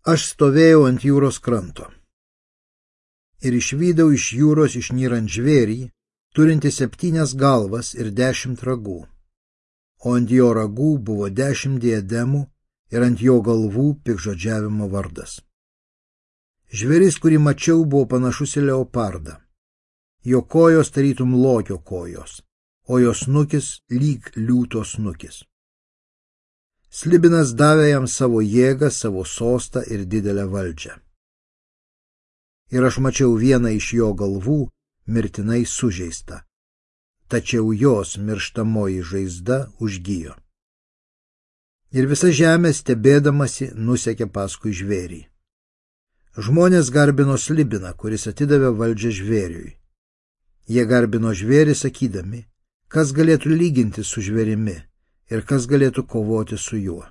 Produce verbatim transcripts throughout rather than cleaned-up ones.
Aš stovėjau ant jūros kranto ir išvydau iš jūros išnyrant žvėrį, turinti septynias galvas ir dešimt ragų, o ant jo ragų buvo dešimt diademų ir ant jo galvų piktžodžiavimo vardas. Žvėris, kurį mačiau, buvo panašus į leopardą. Jo kojos tarytum lokio kojos, o jo snukis lyg liūto snukis. Slibinas davė jam savo jėgą, savo sostą ir didelę valdžią. Ir aš mačiau vieną iš jo galvų mirtinai sužeistą, tačiau jos mirštamoji žaizda užgijo. Ir visa žemė stebėdamasi nusekė paskui žvėrį. Žmonės garbino Slibiną, kuris atidavė valdžią žvėriui. Jie garbino žvėrį sakydami, kas galėtų lyginti su žvėrimi ir kas galėtų kovoti su juo.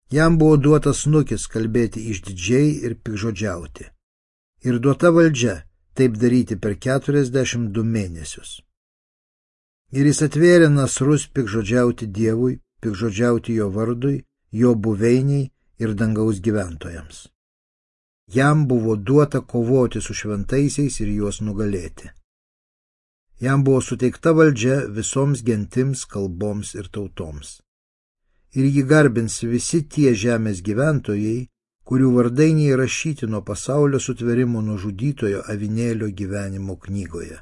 Jam buvo duotas snukis kalbėti išdidžiai ir piktžodžiauti, ir duota valdžia taip daryti per keturiasdešimt du mėnesius. Ir jis atvėrė nasrus piktžodžiauti Dievui, piktžodžiauti jo vardui, jo buveiniai ir dangaus gyventojams. Jam buvo duota kovoti su šventaisiais ir juos nugalėti. Jam buvo suteikta valdžia visoms gentims, kalboms ir tautoms. Ir jį garbins visi tie žemės gyventojai, kurių vardai neįrašyti nuo pasaulio sutvėrimo nužudytojo avinėlio gyvenimo knygoje.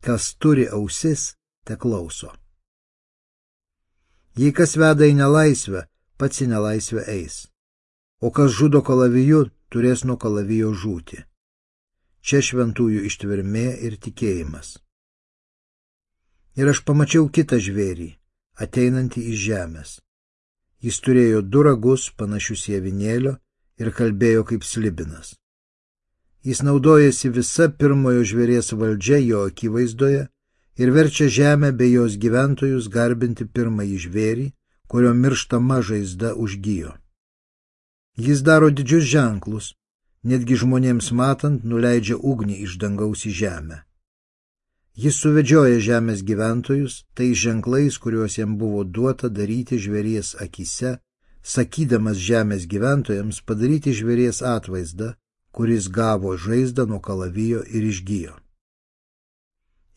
Kas turi ausis, te klauso. Jei kas veda į nelaisvę, pats į nelaisvę eis, o kas žudo kalaviju, turės nuo kalavijo žūti. Čia šventųjų ištvermė ir tikėjimas. Ir aš pamačiau kitą žvėrį, ateinantį iš žemės. Jis turėjo du ragus, panašius į avinėlio, ir kalbėjo kaip Slibinas. Jis naudojasi visa pirmojo žvėries valdžia jo akivaizdoje ir verčia žemę bei jos gyventojus garbinti pirmąjį žvėrį, kurio mirštama žaizda užgijo. Jis daro didžius ženklus, netgi žmonėms matant nuleidžia ugnį iš dangaus į žemę. Jis suvedžioja žemės gyventojus tais ženklais, kuriuos jam buvo duota daryti žvėries akyse, sakydamas žemės gyventojams padaryti žvėries atvaizdą, kuris gavo žaizdą nuo kalavijo ir išgijo.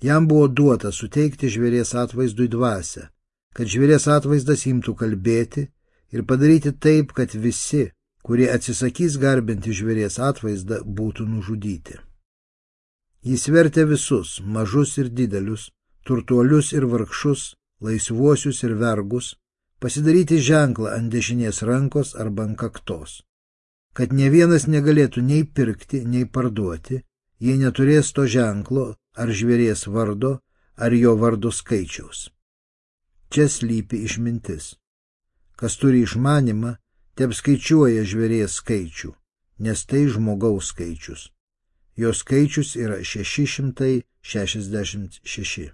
Jam buvo duota suteikti žvėries atvaizdui dvasią, kad žvėries atvaizdas imtų kalbėti ir padaryti taip, kad visi, kurie atsisakys garbinti žvėries atvaizdą, būtų nužudyti. Jis vertė visus, mažus ir didelius, turtuolius ir vargšus, laisvuosius ir vergus, pasidaryti ženklą ant dešinės rankos arba ant kaktos, kad ne vienas negalėtų nei pirkti, nei parduoti, jei neturės to ženklo ar žvėries vardo, ar jo vardo skaičiaus. Čia slypi išmintis. Kas turi išmanymą, tep skaičiuoja žvėries skaičių, nes tai žmogaus skaičius. Jo skaičius yra šeši šimtai šešiasdešimt šeši.